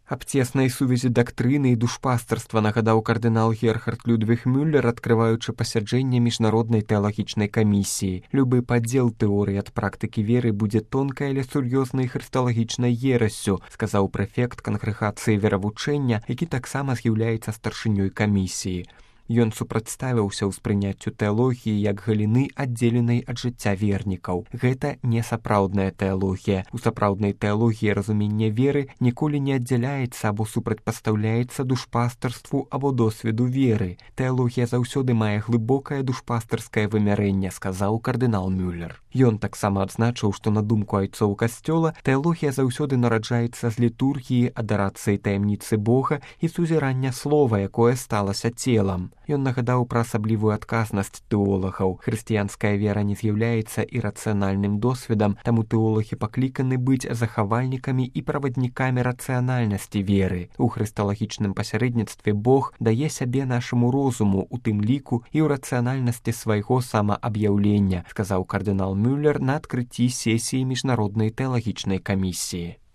Аб цеснай сувязі дактрыны і душпастарства нагадаў кардынал Герхард Людвіг Мюллер, адкрываючы пасяджэнне міжнароднай тэалагічнай камісіі. Любы падзел тэорыі ад практыкі веры будзе тонкай, але сур'ёзнай хрысталагічнай ерассю, сказаў прэфект кангрэгацыі веравучэння, які таксама з'яўляецца старшынёй камісіі. Ён супрацьставіўся ўспрыняццю тэалогіі як галіны, аддзеленай ад жыцця вернікаў. Гэта не сапраўдная тэалогія. У сапраўднай тэалогіі разуменне веры ніколі не аддзяляецца або супрацьпастаўляецца душпастарству або досведу веры. Тэалогія заўсёды мае глыбокае душпастарскае вымярэнне, сказаў кардынал Мюллер. Ён таксама адзначыў, што на думку айцоў касцёла тэалогія заўсёды нараджаецца з літургіі, адарацыі таямніцы Бога і сузірання слова, якое сталася целам. Ён нагадаў пра асаблівую адказнасць тэолагаў. Хрысціянская вера не з'яўляецца ірацыянальным досведам, таму тэолагі пакліканы быць захавальнікамі і праваднікамі рацыянальнасці веры. У хрысталагічным пасярэдніцтве Бог дае сябе нашаму розуму, у тым ліку і ў рацыянальнасці свайго самааб'яўлення, сказаў кардынал Мюллер на адкрыцці сесіі міжнароднай тэалагічнай камісіі.